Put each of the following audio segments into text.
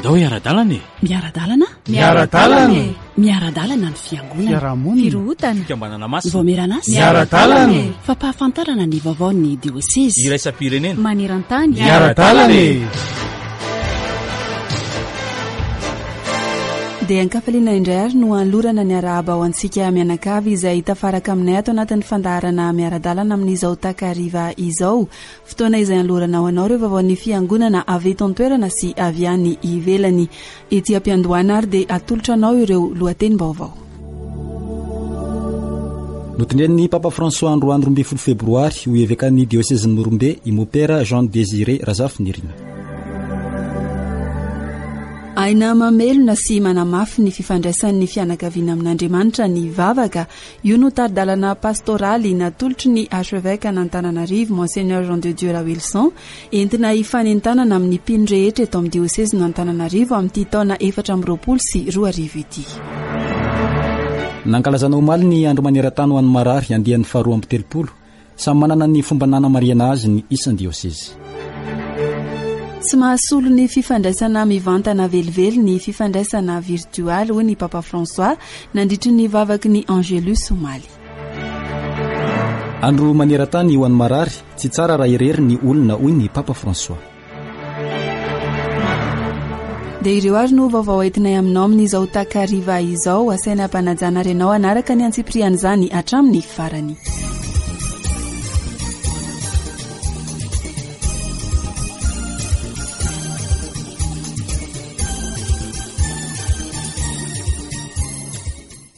Andao hiara-dalana e! Miara-dalana? Miara-dalana e! Miara-dalana ny fiangonana. Fiarahamonina. Firohotana. Fikambanana masina. Ny vaomieran'asa. Miara-dalana e! Fampahafantarana ny vaovaon'ny diosezy. Iraisam-pirenena. Maneran-tany. Miara-dalana e! Dia an-kafaliana indray ary no anolorana ny arahaba ho antsika mianakavy izay tafaraka aminay ato anatin'ny fandaharana miara-dalana amin'izao takariva izao. Fotoana izay anolorana ho anao ireo vaovaon'ny Fiangonana avy eto an-toerana sy avy any ivelany. Ety am-piandohana ary dia atolotra anao ireo lohatenim-baovao. Notendren'ny Papa François androany 12 febroary ho evekan'ny diosezin'i Morombe i Mopera Jean Désiré Razafinirina. Aina mamelona sy manamafy ny fifandraisan'ny fianakaviana amin'Andriamanitra ny vavaka Io no tari-dalana pastoraly natolotry ny Archevêque an'Antananarivo, Monseigneur Jean de Dieu Raoelison, entina hifanentanana amin'ny mpino rehetra eto amin'ny diosezin'Antananarivo amin'ity taona 2024 ity. Nankalazana omaly ny Andro maneran-tany ho an'ny marary andiany faharoa 32. Samy manana ny fomba nanamarihana azy ny isan-diosezy. Tsy mahasolo ny fifandraisana mivantana velively ny fifandraisana virtoaly, hoy ny Papa François nandritry ny vavaky ny Angelus omaly. Andro maneran-tany ho an'ny marary, tsy tsara raha irery ny olona, hoy ny Papa François. Dia ireo ary no vaovao entinay aminao amin'izao takariva izao. Asaina ampanajana ary ianao hanaraka ny antsipirian'izany hatramin'ny farany.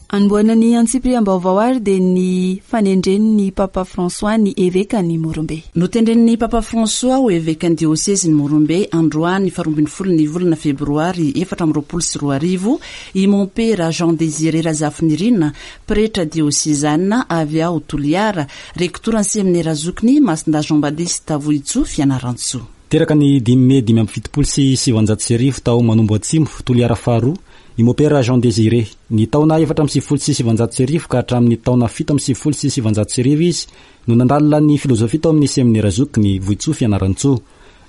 Anombohana ny antsipiriam-baovao ary dia ny fanendren'ny Papa François ny evekan'i Morombe. Notendren'ny Papa François ho evekan'ny diosezin'i Morombe androany faharoambinifolo ny volana febroary 2024 i Mompera Jean Désiré Razafinirina, pretra diosezana avy ao Toliara, rektoran'ny seminera zokiny Masindahy Jean Batiste Vohitsoa Fianarantsoa. Teraka ny dimy mey 1975 tao Manombo Atsimo, Toliara faharoa, I Mopera Jean Désiré. Ny taona 1994 ka hatramin'ny taona 1997 izy no nandalina ny filozofia tao amin'ny Seminera Zokiny, Vohitsoa Fianarantsoa.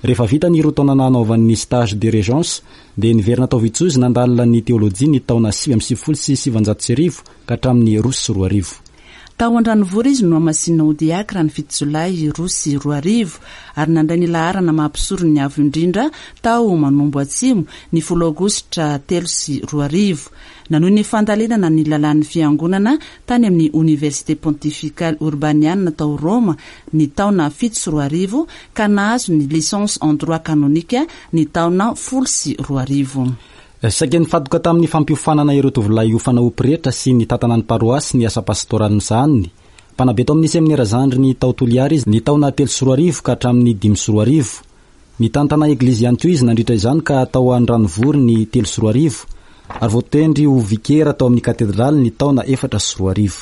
Rehefa vita ny roa taona nanaovany ny stage de régence dia niverina tao Vohitsoa izy nandalina ny teolojia ny taona 1999 ka hatramin'ny 2002. Tao Andranovory izy no nohamasinina ho diakra ny fito jolay 2002 ary nandray ny laharana maha mpisoron'ny Avo Indrindra tao Manombo Atsimo ny folo aogositra 2003. Nanohy ny fandalinana ny lalàn'ny Fiangonana tany amin'ny Oniversite Pontificale Urbaniana tao Roma ny taona 2007 ka nahazo ny Licence en Droit Canonique ny taona 2010. Saika nifantoka tamin'ny fampiofanana ireo tovolahy hiofana ho pretra sy nitantana ny paroasy ny asa pastoraly nosahaniny. Mpanabe tao amin'ny seminera zandriny tao Toliara izy ny taona 2003 ka hatramin'ny 2005. Nitantana eglizy ihany koa izy nandritra izany ka tao Andranovory ny 2003 ary voatendry ho vikera tao amin'ny katedraly ny taona 2004.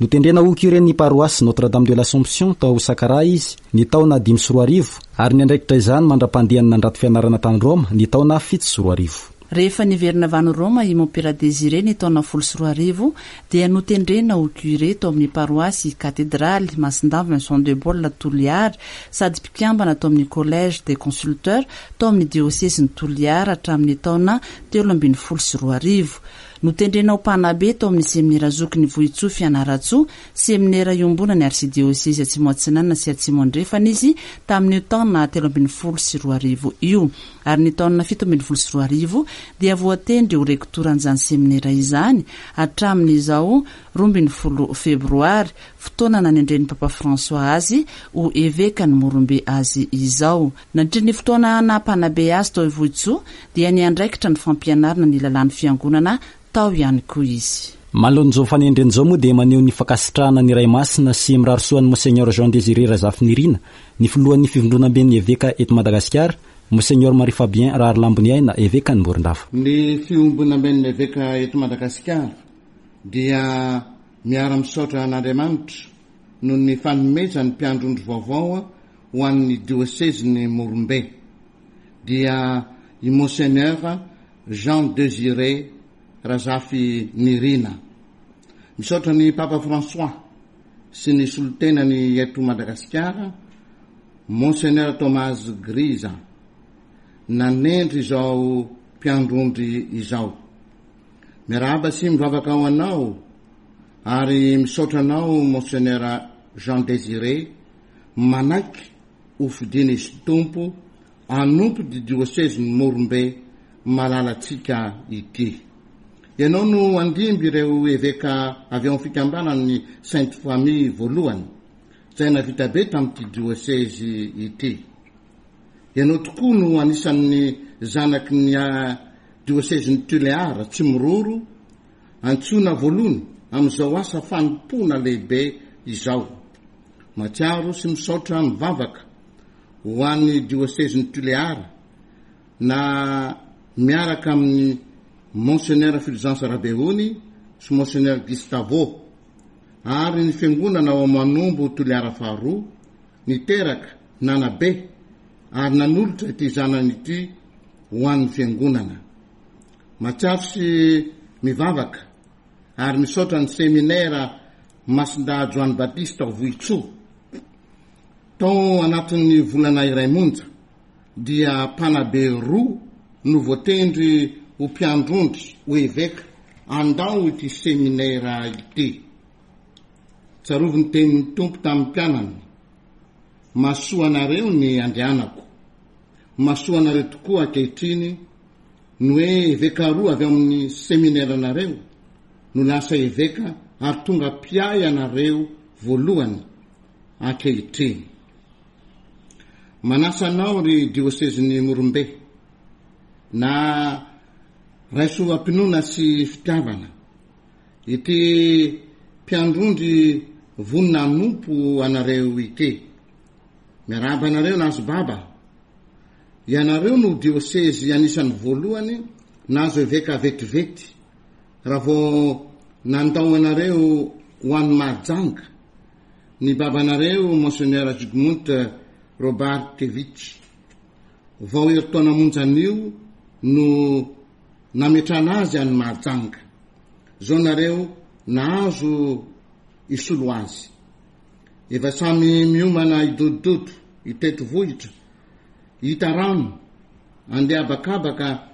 Notendrena ho curé-n'ny paroasy Notre Dame de l'Assomption tao Sakaraha izy ny taona 2005 ary niandraikitra izany mandra-pandehany nandrato fianarana tany Roma ny taona 2007. Rehefa niverina avy any Roma i Mompera Désiré ny taona 2010 dia notendrena ho curé tao amin'ny paroasy Katedraly Masindahy Vincent de Paul Toliara sady mpikambana tao amin'ny Collège des Consulteurs tao amin'ny diosezin'i Toliara hatramin'ny taona 2013. Notendrena ho mpanabe tao amin'ny Seminera Zokin'i Vohitsoa Fianarantsoa, seminera iombonan'ny Arsidiosezy Atsimo Atsinanana sy Atsimo Andrefana izy tamin'io taona 2013 io, ary ny taona 2017 dia voatendry ho rektoran'izany seminera izany hatramin'izao 12 Febroary, fotoana nanendren'ny Papa François azy ho evekan'i Morombe azy izao. Nandritry ny fotoana naha mpanabe azy tao Ivohitsoa dia niandraikitra ny fampianarana ny lalàn'ny Fiangonana tao ihany koa izy. Manoloana izao fanendrena izao moa dia maneho ny fankasitrahana ny Ray Masina sy mirary soa an'i Monseigneur Jean Désiré Razafinirina ny filohan'ny Fivondronamben'ny Eveka eto Madagasikara, Monseigneur Marie Fabien Raharilamboniaina, Evekan'i Morondava. Ny Fiombonamben'ny Eveka eto Madagasikara dia miara-misaotra an'Andriamanitra noho ny fanomezany mpiandry ondry vaovao ho an'ny diosezin'i Morombe dia i Monseigneur Jean Désiré Razafinirina. Misaotra ny Papa François sy ny solontenany eto Madagasikara, Monseigneur Thomas Griza, nanendry izao. mpiandry ondry izao. Miarahaba sy mivavaka ho anao ary misaotra anao Monseigneur Jean Désiré manaiky ho fidiana izy Tompo hanompo ity diosezin'i Morombe malalantsika ity. Ianao no handimby ireo eveka avy ao amin'ny fikambanan'ny Sainte Famille voalohany izay navita be tamin'ity diosezy ity. Ianao tokoa no anisan'ny zanaky ny diosezin'i Tuléar, Tsimiroro, antsoina voalohany amin'izao asa fanompoana lehibe izao. Mahatsiaro sy misaotra mivavaka ho an'ny diosezin'i Tuléar na miaraka amin'i Monseigneur Fulgence Rabeony sy Monseigneur Gustavo ary ny fiangonana ao Manombo Toliara faharoa niteraka, nanabe ary nanolotra ity zanany ity ho an'ny Fiangonana. Mahatsiaro sy mivavaka ary misaotra ny Seminera Masindahy Joany Batista ao Vohitsoa. Tao anatin'ny volana iray monja dia mpanabe roa no voatendry ho mpiandrondry ho eveka handao ity seminera ity. Tsarovy ny tenin'ny Tompo tamin'ny mpianany, Mahasoa anareo ny andrianako. Mahasoa anareo tokoa ankehitriny ny hoe eveka roa avy ao amin'ny semineranareo no lasa eveka ary tonga mpiahy anareo voalohany ankehitriny. Manasa anao ry diosezin'i Morombe, na raiso am-pinoana sy fitiavana. Ity mpiandrondry vonona hanompo anareo ity. Miarahaba anareo nahazo baba. Ianareo no diosezy anisan'ny voalohany nahazo eveka vetivety raha vao nandao anareo ho any Mahajanga ny babanareo Monseigneur Zygmunt Robarkiewicz. Vao herintaona monja anio no nametrahana azy any Mahajanga. Zao nareo nahazo hisolo azy. Efa samy miomana hidodododo, hitety vohitra, hita rano, andeha habakabaka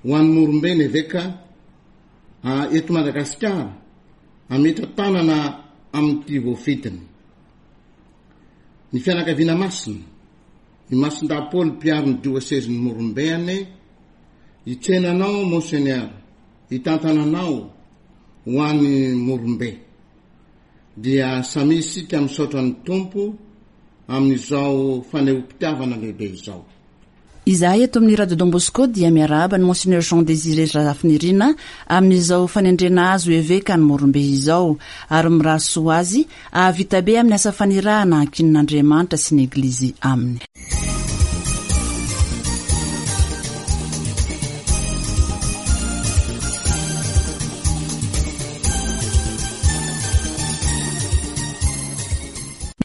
ho any Morombe ny eveka eto Madagasikara hametra-tanana amin'ity voafidiny. Ny fianakaviana masina, i Masindahy Paoly mpiaro ny diosezin'i Morombe anie hitsena anao Monseigneur, hitantana anao ho any Morombe. Dia samia isika misaotra ny Tompo amin'izao fanehoam-pitiavana lehibe izao. Izahay eto amin'ny Radio Don Bosco dia miarahaba an'i Monseigneur Jean Désiré Razafinirina amin'izao fanendrena azy ho eveka any Morombe izao ary mirary soa azy hahavita be amin'ny asa fanirahana ankinin'Andriamanitra sy ny Eglizy aminy.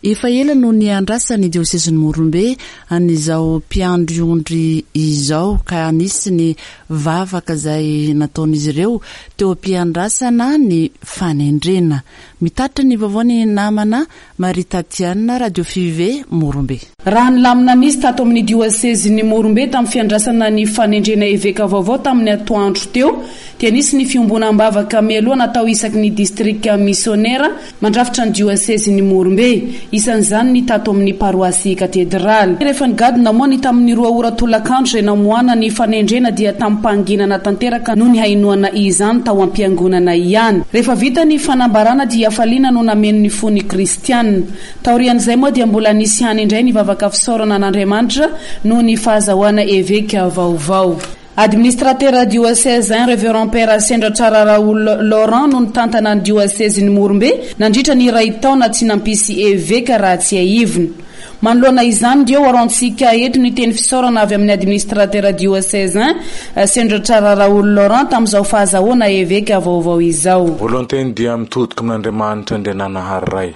Efa ela no niandrasan'ny diosezin'i Morombe an'izao mpiandry ondry izao ka nisy ny vavaka izay nataon'izy ireo teo am-piandrasana ny fanendrena. Mitatitra ny vaovao ny namana Marie Tatiana, Radio Five, Morombe. Raha ny lamina nisy tato amin'ny diosezin'i Morombe tamin'ny fiandrasana ny fanendrena eveka vaovao tamin'ny atoandro teo dia nisy ny fiombonam-bavaka mialoha natao isaky ny distrika misionera mandrafitra ny diosezin'i Morombe. Isan'izany ny tato amin'ny paroasy katedraly. Rehefa nigadona moa ny tamin'ny roa ora tolakandro izay namoahana ny fanendrena dia tamim-pahanginana tanteraka no nihainoana izany tao am-piangonana ihany. Rehefa vita ny fanambarana dia hafaliana no nameno ny fon'ny kristiana. Taorian'izay moa dia mbola nisy ihany indray ny vavaka fisaorana an'Andriamanitra noho ny fahazahoana eveka vaovao. Administratera diosezain Reverend Père Sendratrara Raoul Laurent no nitantana ny diosezin'i Morombe nandritra ny iray taona tsy nampisy eveka raha tsiahivina. Manoloana izany dia ho araontsika eto ny teny fisaorana avy amin'ny Administratera diosezain Sendratrara Raoul Laurent tamin'izao fahazahoana eveka vaovao izao. Voalohanteny dia mitodika amin'Andriamanitra Andriananahary Ray,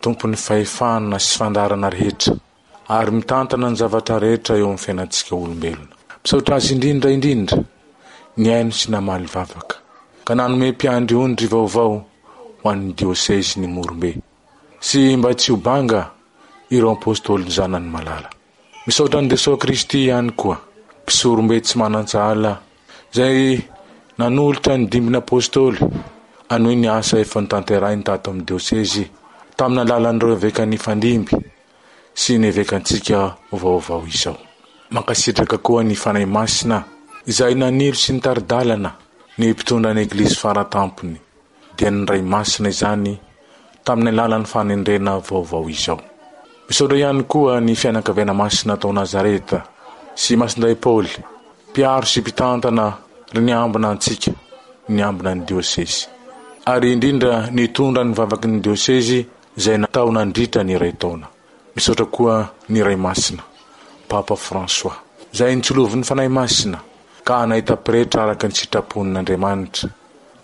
Tompon'ny fahefana sy fandaharana rehetra. ary mitantana ny zavatra rehetra eo amin'ny fiainantsika olombelona. Misaotra Azy indrindra indrindra nihaino sy namaly vavaka, ka nanome mpiandry ondry vaovao ho an'ny diosezin'i Morombe, sy mba tsy ho banga ireo Apôstôly zanany malala. Misaotra an'i Jesoa Kristy ihany koa, Mpisorombe tsy manan-tsahala. izay nanolotra ny dimbin'ny Apostoly hanohy ny asa efa notanterahiny tato amin'ny diosezy tamin'ny alalan'ireo eveka nifandimby sy ny evekantsika vaovao izao. Mankasitraka koa ny Fanahy Masina izay nanilo sy nitari-dalana ny mpitondra ny Eglizy Faratampony, dia ny Ray Masina izany tamin'ny alalan'ny fanendrena vaovao izao. Misaotra ihany koa ny fianakaviana masina tao Nazareta sy Masindahy Paoly, mpiaro sy mpitantana ry niambina antsika, niambina ny diosezy. Ary indrindra nitondra ny vavaky ny diosezy izay natao nandritra ny iray taona. Misaotra koa ny Ray Masina, Papa François, izay nitsolovin'ny Fanahy Masina ka nahita pretra araka ny sitrapon'Andriamanitra,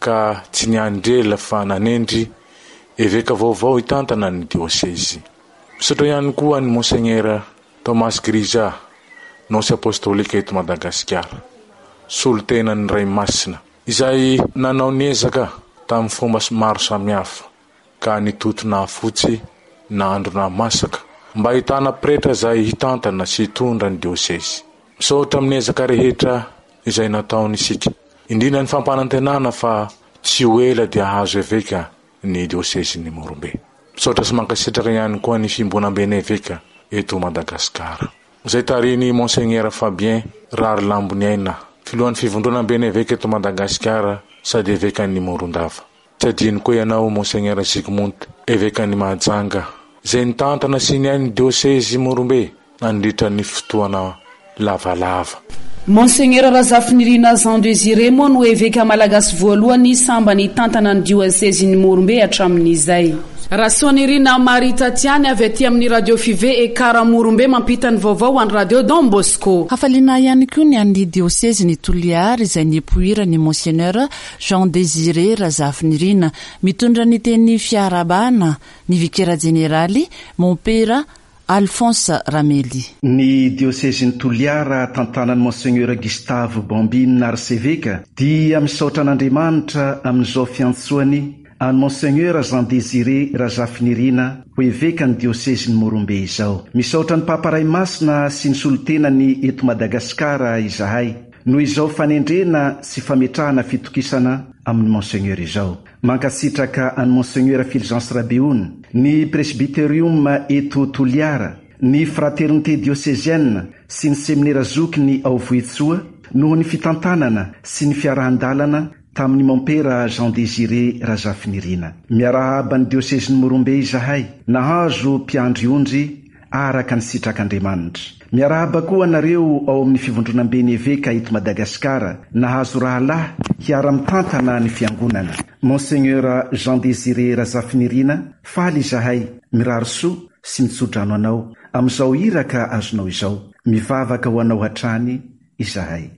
ka tsy niandry ela fa nanendry eveka vaovao hitantana ny diosezy. Misaotra ihany koa an'i Monseigneur Thomas Grija, Nonce Apostolika eto Madagasikara, solontenan'ny Ray Masina, izay nanao ny ezaka tamin'ny fomba maro samihafa ka nitoto nahafotsy nahandro nahamasaka mba hahitana pretra izay hitantana sy hitondra ny diosezy. Misaotra amin'ny ezaka rehetra izay nataony isika, indrindra ny fampanantenana fa tsy ho ela dia hahazo eveka ny diosezin'i Morombe. Misaotra sy mankasitraka ihany koa ny Fiombonamben'ny Eveka eto Madagasikara, izay tarihin'i Monseigneur Fabien Raharilamboniaina, Filohan'ny Fivondronamben'ny Eveka eto Madagasikara sady Evekan'i Morondava. Tsy adino koa ianao Monseigneur Zygmunt, Evekan'i Mahajanga, izay nitantana sy niahy ny diosezy Morombe nandritra ny fotoana lavalava. Monseigneur Razafinirina Jean Désiré moa no eveka malagasy voalohany sambany hitantana ny diosezin'i Morombe hatramin'izay. Rasoanirina Marie Tatiane avy aty amin'ny Radio Five Ekar Morombe mampita ny vaovao ho an'ny Radio Don Bosco. Hafaliana ihany koa ny an'ny diosezin'i Toliary izay nipoiran'i Monseigneur Jean Désiré Razafinirina. Mitondra ny teny fiarahabana ny Vikera Jeneraly, Mompera Alphonse Ramely. Ny diosezin'i Toliara tantanan'i Monseigneur Gustave Bambine Arseveka dia misaotra an'Andriamanitra amin'izao fiantsoany an'i Monseigneur Jean Désiré Razafinirina ho evekan'ny diosezin'i Morombe izao. Misaotra ny Papa Ray Masina sy ny solontenany eto Madagasikara izahay noho izao fanendrena sy fametrahana fitokisana amin'i Monseigneur izao. Mankasitraka an'i Monseigneur Fulgence Rabeony, ny Presbyterium eto Toliara, ny Fraternité Diocésienne sy ny Seminera Zokiny ao Vohitsoa noho ny fitantanana sy ny fiarahan-dalana tamin'i Mompera Jean Désiré Razafinirina. Miarahaba ny Diosezin'i Morombe izahay, nahazo mpiandry ondry araka ny sitrak'Andriamanitra. Miarahaba koa anareo ao amin'ny Fivondronamben'ny Eveka eto Madagasikara nahazo rahalahy hiara-mitantana ny Fiangonana. Monseigneur Jean Désiré Razafinirina, faly izahay mirary soa sy mitso-drano anao amin'izao iraka azonao izao. Mivavaka ho anao hatrany izahay.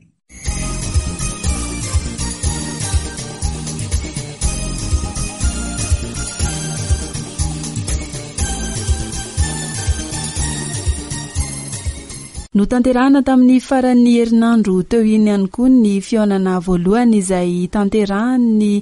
Notanterahina tamin'ny faran'ny herinandro teo iny ihany koa ny fihaonana voalohany izay tanterahan'ny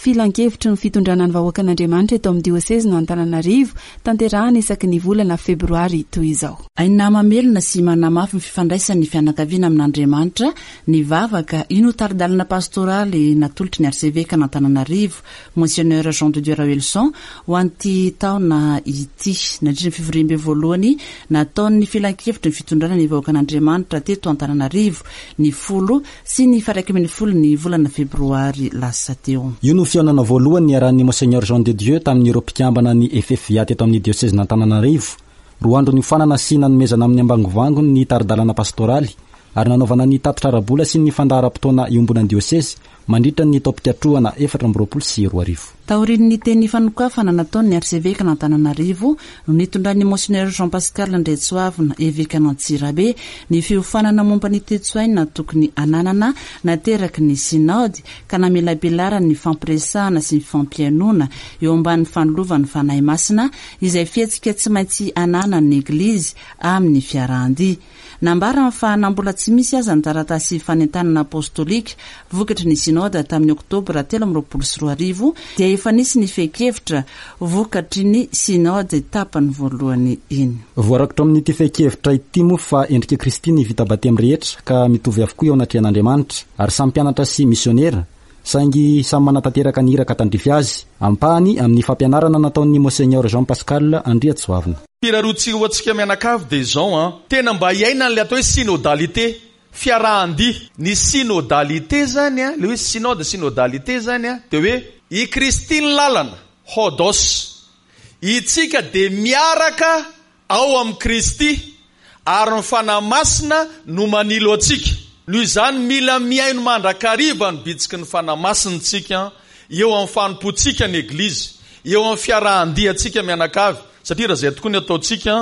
Filankevitry ny fitondrana ny vahoakan'Andriamanitra eto amin'ny diosezin'Antananarivo, tanterahina isaky ny volana febroary toy izao. Aina mamelona sy manamafy ny fifandraisan'ny fianakaviana amin'Andriamanitra ny vavaka, io no tari-dalana pastoraly natolotry ny Arsevekan'Antananarivo, Monseigneur Jean de Dieu Raoelison, ho an'ity taona ity. Nandritra ny fivoriambe voalohany nataon'ny Filankevitry ny fitondrana ny vahoakan'Andriamanitra teto Antananarivo, ny folo sy ny 11 ny volana febroary lasa teo. Io no fihaonana voalohany niarahan'ny Monseigneur Jean de Dieu tamin'ireo mpikambana ny FFVA teto amin'ny diosezin'Antananarivo. Roa andro niofanana sy nanomezana amin'ny ambangovangony ny tari-dalana pastoraly ary nanaovana ny tatitra ara-bola sy ny fandaharam-potoana iombonan'ny diosezy mandritra ny taom-pikatrohana 2024. Taorian'ny teny fanokafana nataon'ny Arsevekan'Antananarivo no nitondran'ny Monseigneur Jean Pascal Andriatsoavina, Evekan'Antsirabe, ny fiofanana momba ny toe-tsaina tokony hananana nateraky ny Sinaody ka namelabelarany ny fampiresahana sy ny fampihainoana eo ambanin'ny fanilovan'ny Fanahy Masina izay fihetsika tsy maintsy ananan'ny Eglizy amin'ny fiarahan-dia. Nambarany fa na mbola tsy misy aza ny taratasy fanentanana apostolika vokatry ny Synoda tamin'ny oktobra 2023 dia efa nisy ny fehin-kevitra vokatry ny Synode tapany voalohany iny. Voarakitra ao amin'ity fehin-kevitra ity moa fa endrik'i Kristy ny vita batemy rehetra ka mitovy avokoa eo anatrehan'Andriamanitra ary samy mpianatra sy misionera saingy samy manatanteraka ny iraka tandrify azy, ampahany amin'ny fampianarana nataon'ny Monseigneur Jean Pascal Andriatsoavina. Firaroantsika ho antsika mianakavy dia izao an, tena mba hiaina an'ilay atao hoe synodalité, fiarahan-dia. Ny synodalité izany an, ilay hoe synode, synodalité izany an, dia hoe i Kristy ny lalana, hodos. Itsika dia miaraka Ao amin'i Kristy, ary ny Fanahy Masina no manilo antsika. Noho izany, mila mihaino mandrakariva ny bitsiky ny Fanahy Masina isika eo amin'ny fanompoantsika ny Eglizy, eo amin'ny fiarahan-diantsika mianakavy, satria raha izay tokoa ny ataontsika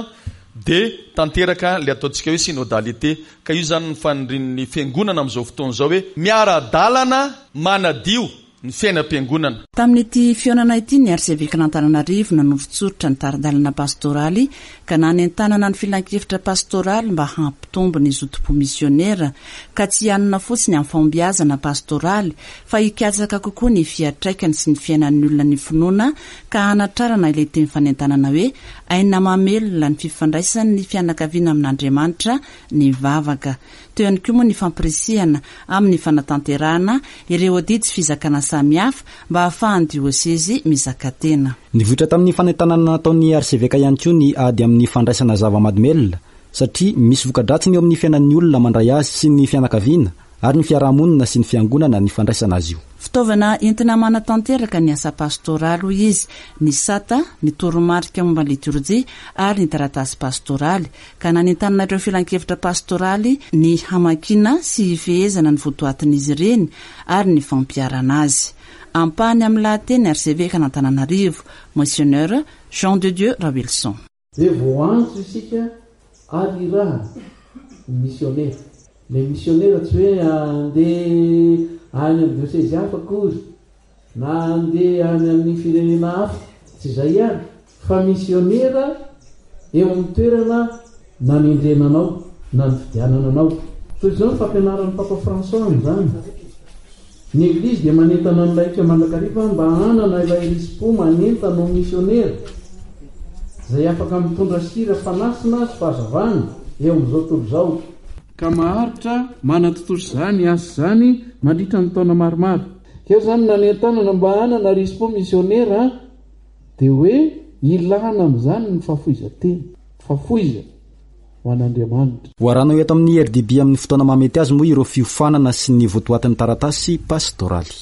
dia tanteraka ilay ataontsika hoe synodalité. Ka io izany ny fanirian'ny Fiangonana amin'izao fotoana izao hoe miara-dalana manadio ny fiainam-piangonana. Tamin'ity fihaonana ity ny Arsevekan'Antananarivo nanoritsoritra ny tari-dalana pastoraly ka nanentanana ny filankevitra pastoraly mba hampitombo ny zotom-po misionera ka tsy hianona fotsiny amin'ny fahombiazana pastoraly fa hikatsaka kokoa ny fiantraikany sy ny fiainan'ny olona ny finoana ka hanatrarana ilay teny fanentanana hoe aina mamelona ny fifandraisan'ny fianakaviana amin'Andriamanitra ny vavaka. Teo ihany koa moa ny fampirisihana amin'ny fanatanterahana ireo adidy sy fizakana samihafa mba hahafahan'ny diosezy mizaka tena. Nivoitra tamin'ny fanentanana nataon'ny arseveka ihany koa ny ady amin'ny fandraisana zava-mahadomelina satria misy voka-dratsiny eo amin'ny fiainan'ny olona mandray azy sy ny fianakaviana ary ny fiaraha-monina sy ny fiangonana ny fandraisana azy io. Fitaovana entina manatanteraka ny asa pastoraly, hoy izy, ny sata, ny toromarika momba ny litorjia ary ny taratasy pastoraly, ka nanentanana ireo filankevitra pastoraly ny hamakiana sy hifehezana ny votoatin'izy ireny ary ny fampiharana azy. Ampahany amin'ny lahateny Arsevekan'Antananarivo, Monseigneur Jean de Dieu Raoelison. Dia voaantso isika ary irahana ho misionera. Ilay misionera tsy hoe handeha any amin'ny diosezy hafa akory na handeha any amin'ny firenena hafa, tsy izay ihany, fa misionera eo amin'ny toerana nanendrena anao na nifidianana anao. Toy izao ny fampianaran'ny Papa François amin'izany, Ny Eglizy dia manentana ny laika mandrakariva mba hanana ilay risi-po manentana ho misionera, izay afaka mitondra sira fanasina sy fahazavana eo amin'izao tontolo izao. Ka maharitra manatontosa izany asa izany mandritra ny taona maromaro. Keo izany nanentanana mba hanana risi-po misionera dia hoe ilana amin'izany ny fahafoizan-tena, fahafoizana ho an'Andriamanitra. Ho arahanao eto amin'ny RDB amin'ny fotoana mahamety azy moa ireo fiofanana sy ny votoatin'ny taratasy pastoraly.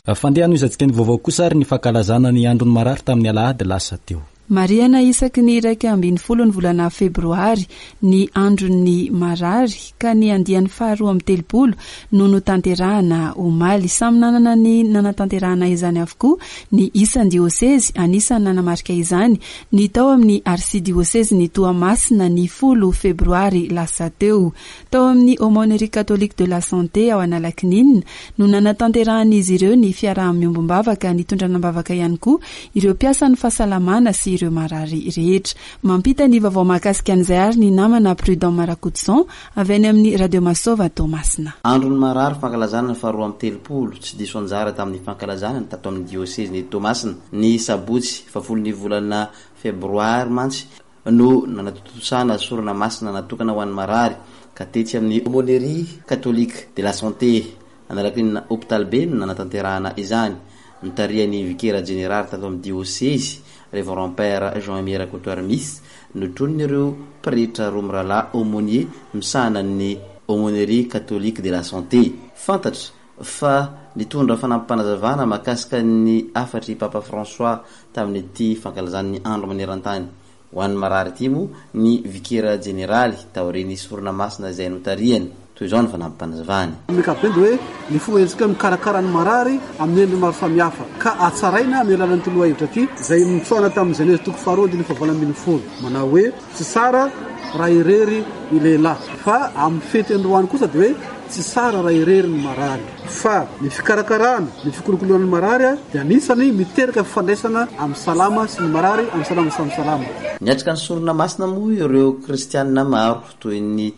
Fandeha hanohizantsika ny vaovao kosa ary ny fankalazana ny andron'ny marary tamin'ny alahady lasa teo. Marihana isaky ny 11 ny volana febroary ny andron'ny marary ka ny andiany faharoa 32 no notanterahana omaly. Samy nanana ny nanatanterahana izany avokoa ny isan-diosezy, anisan'ny nanamarika izany ny tao amin'ny arsidiosezin'i Toamasina ny folo febroary lasa teo. Tao amin'ny Aumônerie Catholique de la Santé ao Analakininina no nanatanterahan'izy ireo ny fiaraha-miombom-bavaka nitondrana am-bavaka ihany koa ireo mpiasan'ny fahasalamana sy ireo marary rehetra. Mampita ny vaovao mahakasika an'izay ary ny namana Prudent Marakotoson avy any amin'ny Radio Masova Toamasina. Andron'ny marary fankalazana ny faharoa 32 tsy diso anjara tamin'ny fankalazana ny tato amin'ny diosezin'i Toamasina ny sabotsy fahafolon'ny volana febroary mantsy no nanatontosana sorona masina natokana ho an'ny marary ka tetsy amin'ny Aumônerie Catholique de la Santé Analakinina Hopitaly Be no nanatanterahana izany, notarihan'ny Vikera Jeneraly tato amin'ny Diosezy, Révérend Père Jean Aimé Rakotoarimisy, notronin'ireo pretra roa mirahalahy aumônier misahana ny Aumônerie Catholique de la Santé. Fantatra fa nitondra fanampim-panazavana mahakasika ny hafatr'i Papa François tamin'ity fankalazany ny Andro maneran-tany ho an'ny marary ity moa ny Vikera Jeneraly taorian'ny sorona masina izay notarihany. Toy izao ny fanampim-panazavany. Amin'ny ankapobeny dia hoe ny fomba entintsika mikarakara ny marary amin'ny endriny maro samihafa ka hatsaraina amin'ny alalan'ity lohahevitra ity izay nitsoahana tamin'ny Genezy toko faharoa andininy fahavalo 18 manao hoe tsy tsara raha irery ny lehilahy fa amin'ny fety androany kosa dia hoe. tsy tsara raha irery ny marary. Fa ny fikarakarana, ny fikolokoloana ny marary dia anisany miteraka fifandraisana amin'ny salama sy ny marary, amin'ny salama samy salama. Niatrika ny sorona masina moa ireo kristianina maro toy ny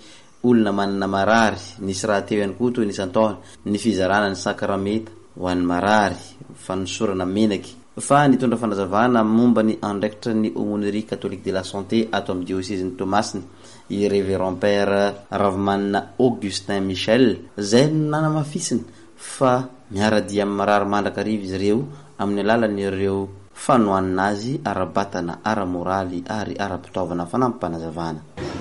olona manana marary, nisy rahateo ihany koa toy ny isan-taona ny fizarana ny sakramenta ho an'ny marary, fanosorana menaky. Fa nitondra fanazavana momba ny andraikitra ny Aumônerie Catholique de la Santé ato amin'ny diosezin'i Toamasina i Révérend Père Ravimanana Augustin Michel izay nanamafisiny fa miara-dia amin'ny marary mandrakariva izy ireo amin'ny alalan'ireo fanohanana azy ara-batana, ara-moraly ary ara-pitaovana fanampim-panazavana.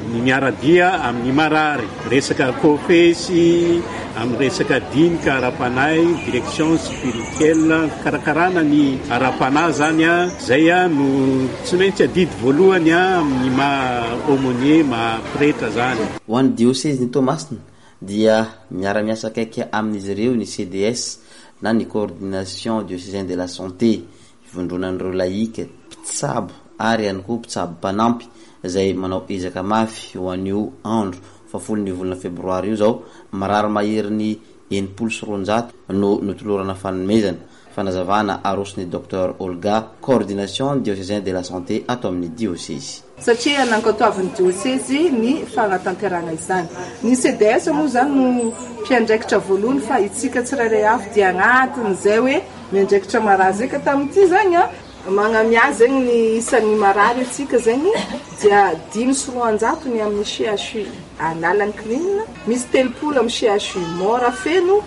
Ny miara-dia amin'ny marary, resaka kofesy, amin'ny resaka dinika ara-panahy, direction spirituelle, fikarakarana ny ara-panahy izany, izay no tsy maintsy adidy voalohany amin'ny maha aumônier, maha pretra izany. Ho an'ny diosezin'i Toamasina dia miara-miasa akaiky amin'izy ireo ny CDS na ny Coordination Diocésaine de la Santé, ivondronan'ireo laïque, mpitsabo ary ihany koa mpitsabo mpanampy izay manao ezaka mafy ho an'io andro fahafolon'ny volana febroary io izao, marary maherin'ny 260 no notolorana fanomezana. Fanazavana aroson'ny Docteur Olga, Coordination Diocésaine de la Santé ato amin'ny diosezy. Satria nankatoavin'ny diosezy ny fanatanterahana izany. Ny CDS moa izany no mpiandraikitra voalohany fa itsika tsirairay avy dia agnatin'izay hoe miandraikitra marary izay ka tamin'ity izany an, magnamia zegny ny isan'ny marary atsika zegny dia 205 ny amin'ny CHU Analankininina, misy 30 amin'ny CHU Morafeno,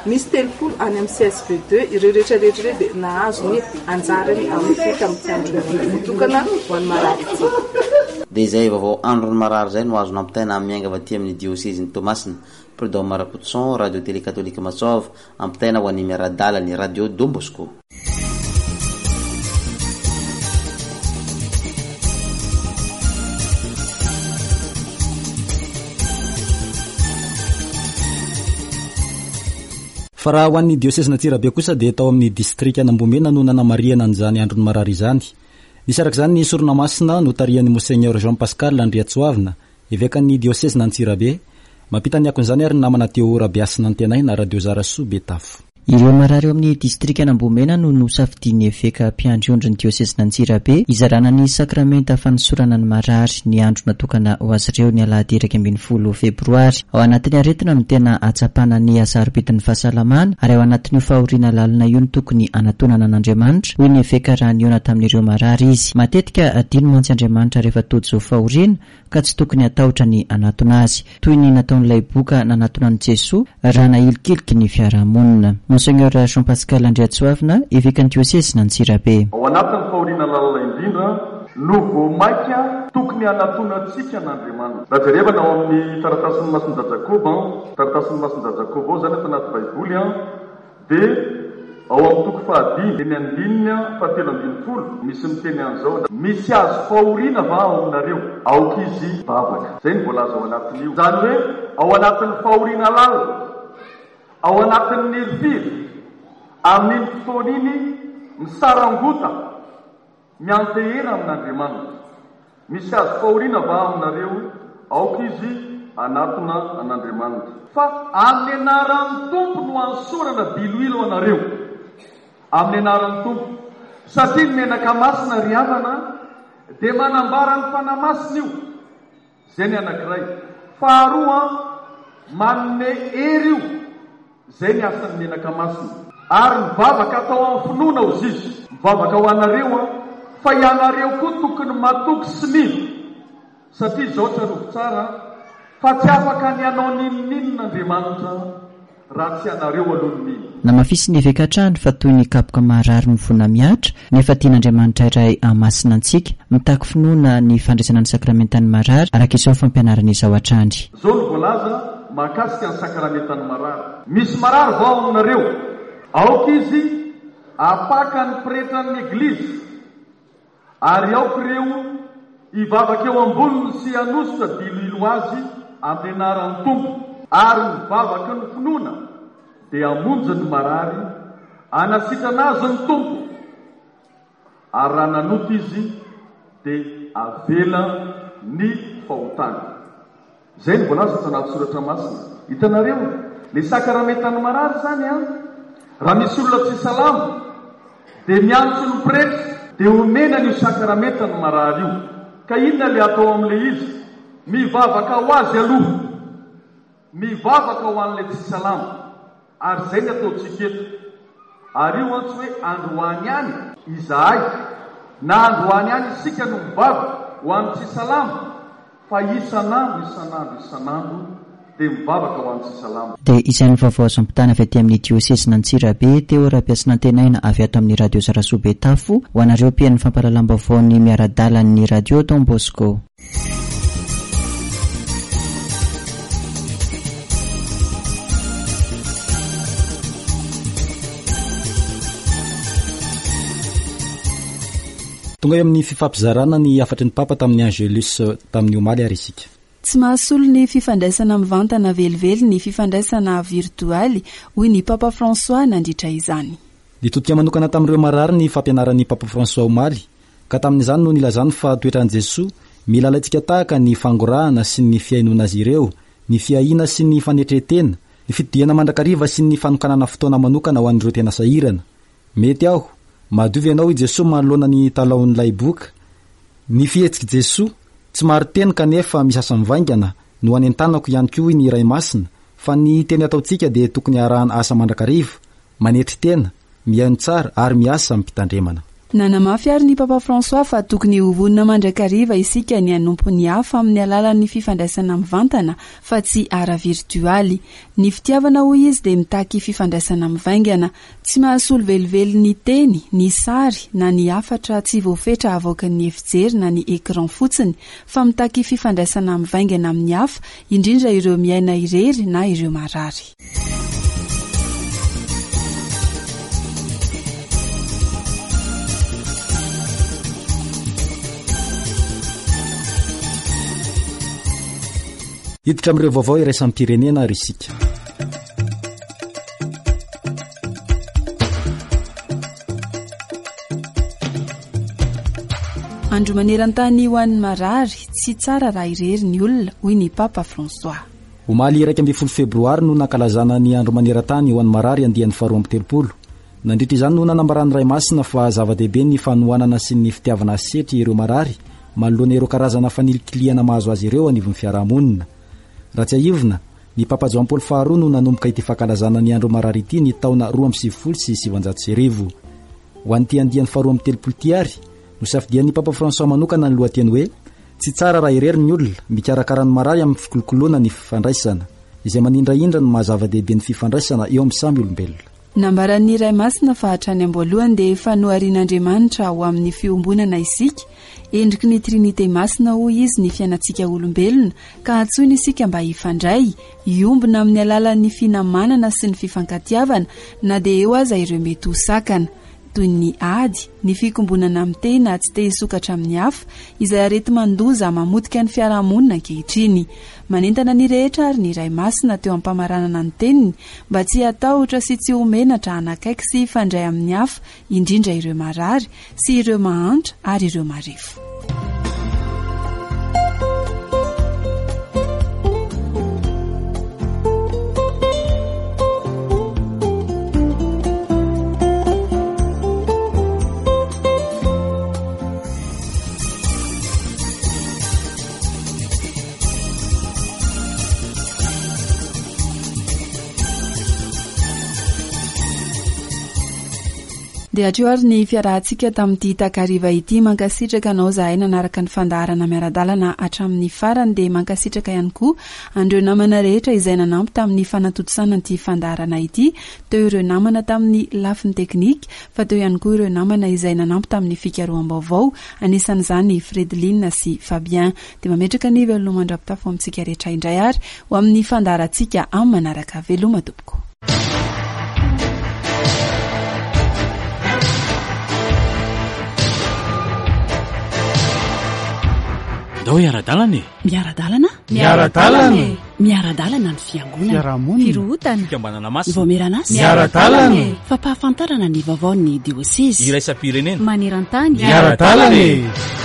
Misy 30 any amin'ny CSB deux, ireo rehetra rehetra ireo dia nahazo ny anjarany amin'ity tamin'ity andro voatokana ho an'ny marary ity. Dia izay vaovao andron'ny marary izay no azo nampitaina miainga avy aty amin'ny diosezin'i Toamasina. Prud'homme Rakotoson, Radio Télé Katolika Masoava, ampitaina ho an'ny miara-dala ny Radio Don Bosco. Fa raha ho an'ny diosezin'Antsirabe kosa dia tao amin'ny distrikan'Ambohimena no nanamarihana an'izany andron'ny marary izany. Nisy araka izany ny sorona masina notarihan'i Monseigneur Jean Pascal Andriatsoavina, evekan'ny diosezin'Antsirabe. Mampita ny akon'izany ary ny namana Théo Rabehasinantenaina, Radio Zarasoa Betafo. Ireo marary ao amin'ny distrikan'Ambohimena no nosafidian'ny eveka mpiandry ondry ny diosezin'Antsirabe hizarana ny sakramenta fanosorana ny marary ny andro natokana ho azy ireo ny alahady 11 febroary. Ao anatin'ny aretina no tena ahatsapana ny hasarobidin'ny fahasalamana ary ao anatin'io fahoriana lalina io no tokony hanatonana an'Andriamanitra, hoy ny eveka raha nihaona tamin'ireo marary izy. Matetika adino mantsy Andriamanitra rehefa tojo fahoriana ka tsy tokony hatahotra ny hanatona azy, toy ny nataon'ilay boka nanatona an'i Jesoa raha nahilikiliky ny fiarahamonina. Monseigneur Jean Pascal Andriatsoavina, Evekan'ny Diosezin'Antsirabe. Ao anatin'ny fahoriana lalina indrindra no vao mainka tokony hanatonantsika an'Andriamanitra. Raha jerevana ao amin'ny taratasin'i Masindahy Jakoba, taratasin'i Masindahy Jakoba ao izany ato anaty Baiboly, Dia ao amin'ny toko fahadimy, dia ny andininy fahatelo ambin'ny folo, misy miteny an'izao, Misy azo fahoriana va ao aminareo? Aoka izy hivavaka. Izay no voalaza ao anatin'io. Izany hoe ao anatin'ny fahoriana lalina, ao anatin'ny hirifiry, amin'iny fotoana iny misarangota, Miantehera amin'Andriamanitra. Misy azo fahoriana va aminareo? Aoka izy hanatona an'Andriamanitra. Fa amin'ny anaran'ny Tompo no hanosorana diloilo anareo. Amin'ny anaran'ny Tompo. Satria ny menaka masina, ry havana, dia manambara ny Fanahy Masina io. Izay ny anankiray. Faharoa, manome hery io. Izay ny asan'ny menaka masina. Ary ny vavaka atao amin'ny finoana hozizy. Mivavaka ho anareo aho, fa ianareo koa tokony matoky sy mino. Satria izao tsarovy tsara, fa tsy afaka ny hanao n'inon'inona Andriamanitra raha tsy ianareo aloha no mino. Namafisin'ny eveka hatrany fa toy ny kapoka maharary mivona mihatra, nefa tian'Andriamanitra iray hahamasina antsika. Mitaky finoana ny fandraisana ny sakramentan'ny marary, araka izao fampianarana izao hatrany. Izao no voalaza mahakasika ny sakramentan'ny marary, Misy marary va ao aminareo? Aoka izy hapaka ny pretran'ny Eglizy. Ary aoka ireo hivavaka eo amboniny sy hanosotra diloilo azy amin'ny anaran'ny Tompo. Ary ny vavaky ny finoana dia hamonjy ny marary, hanasitrana azy ny Tompo, ary raha nanota izy dia havela ny fahotany. Izay no voalaza ato anaty Soratra Masina. Hitanareo? Ny sakramentan'ny marary izany an, raha misy olona tsy salama dia miantso ny pretra dia omena an'io sakramentan'ny marary io. Ka inona ilay atao amin'ilay izy? Mivavaka ho azy aloha. Mivavaka ho an'ilay tsy salama. Ary izay ny ataontsika eto. Ary io an tsy hoe androany ihany izahay na androany ihany isika no mivavaka ho an'ny tsy salama fa isan'andro isan'andro isan'andro dia mivavaka ho an'ny tsy salama. Dia izay ny vaovao azo ampitana avy aty amin'ny diosezin'Antsirabe, Théo Rabeasinantenaina avy ato amin'ny Radio Zarasoa Betafo, ho anareo mpihaino ny fampahalalam-baovaon'ny miara-dalan'ny Radio Don Bosco. Tonga eo amin'ny fifampizarana ny hafatry ny Papa tamin'ny Angelus tamin'ny omaly ary isika. Tsy mahasolo ny fifandraisana mivantana velively ny fifandraisana virtoaly, hoy ny Papa François nandritra izany. Nitodika manokana tamin'ireo marary ny fampianaran'ny Papa François omaly, Ka tamin'izany no nilazany fa toetran'i Jesoa, mila alaintsika tahaka ny fangorahana sy ny fihainoana azy ireo, ny fiahiana sy ny fanetren-tena, ny fitodihana mandrakariva sy ny fanokanana fotoana manokana ho an'ireo tena sahirana. Mety aho, madio ve ianao hoy Jesoa manoloana ny talaon'ilay boka. Ny fihetsik'i Jesoa, tsy marin-teny kanefa misy asa mivaingana, no anentanako ihany koa hoy ny Ray Masina, fa ny teny ataontsika dia tokony arahana asa mandrakariva, manetry tena, mihaino tsara ary miasa amim-pitandremana. Nanamafy àry ny Papa François fa tokony ho vonona mandrakariva isika ny hanompo ny hafa amin'ny alalan'ny fifandraisana mivantana fa tsy ara-virtoaly. Ny fitiavana, hoy izy, dia mitaky fifandraisana mivaingana. Tsy mahasolo velively ny teny, ny sary, na ny hafatra tsy voafetra avoakan'ny efijery na ny écran fotsiny, fa mitaky fifandraisana mivaingana amin'ny hafa, indrindra ireo miaina irery na ireo marary. Hiditra amin'ireo vaovao iraisam-pirenena ary isika. Andro maneran-tany ho an'ny marary, tsy tsara raha irery ny olona, hoy ny Papa François. Omaly 11 febroary no nankalazana ny Andro maneran-tany ho an'ny marary andiany faharoa 32. Nandritra izany no nanambaran'ny Ray Masina fa zava-dehibe ny fanohanana sy ny fitiavana asetry ireo marary manoloana ireo karazana fanilikilihana mahazo azy ireo anivon'ny fiarahamonina. Raha tsiahivina, ny Papa Joan Paoly faharoa no nanomboka ity fankalazana ny Andro marary ity ny taona 1992. Ho an'ity andiany faharoa 32 ity ary, nosafidian'ny Papa François manokana ny lohateny hoe Tsy tsara raha irery ny olona, mikarakara ny marary amin'ny fikolokoloana ny fifandraisana, izay manindrahindra ny maha zava-dehibe ny fifandraisana eo amin'ny samy olombelona. Nambaran'ny Ray Masina fa hatrany am-boalohany dia efa noharian'Andriamanitra ho amin'ny fiombonana isika. Endriky ny Trinite Masina hoy izy ny fiainantsika olombelona ka antsoina isika mba hifandray, hiombona amin'ny alalan'ny finamanana sy ny fifankatiavana na dia eo aza ireo mety ho sakana. toy ny ady, ny fikombonana amin'ny tena tsy te hisokatra amin'ny hafa, izay areti-mandoza mamotika ny fiarahamonina ankehitriny. Manentana ny rehetra ary ny Ray Masina teo am-pamaranana ny teniny mba tsy hatahotra sy tsy ho menatra hanakaiky sy hifandray amin'ny hafa, indrindra ireo marary, sy ireo mahantra ary ireo marefo. Dia hatreo ary ny fiarahantsika tamin'ity takariva ity. Mankasitraka anao zahay nanaraka ny fandaharana miara-dalana hatramin'ny farany. Dia mankasitraka ihany koa an'ireo namana rehetra izay nanampy tamin'ny fanatontosana ity fandaharana ity. Teo ireo namana tamin'ny lafiny teknika, fa teo ihany koa ireo namana izay nanampy tamin'ny fikaroham-baovao, anisan'izany i Fredeline sy Fabien. Dia mametraka ny veloma mandra-pitafo amintsika rehetra indray ary ho amin'ny fandaharantsika amin'ny manaraka. Veloma tompoko. Ndao hiara-dalana e! Miara-dalana? Miara-dalana e! Miara-dalana ny fiangonana. Fiarahamonina. Firohotana. Fikambanana masina. Ny vaomieran'asa. Miara-dalana e! Fampahafantarana ny vaovaon'ny diosezy. Iraisam-pirenena. Maneran-tany. Miara-dalana e!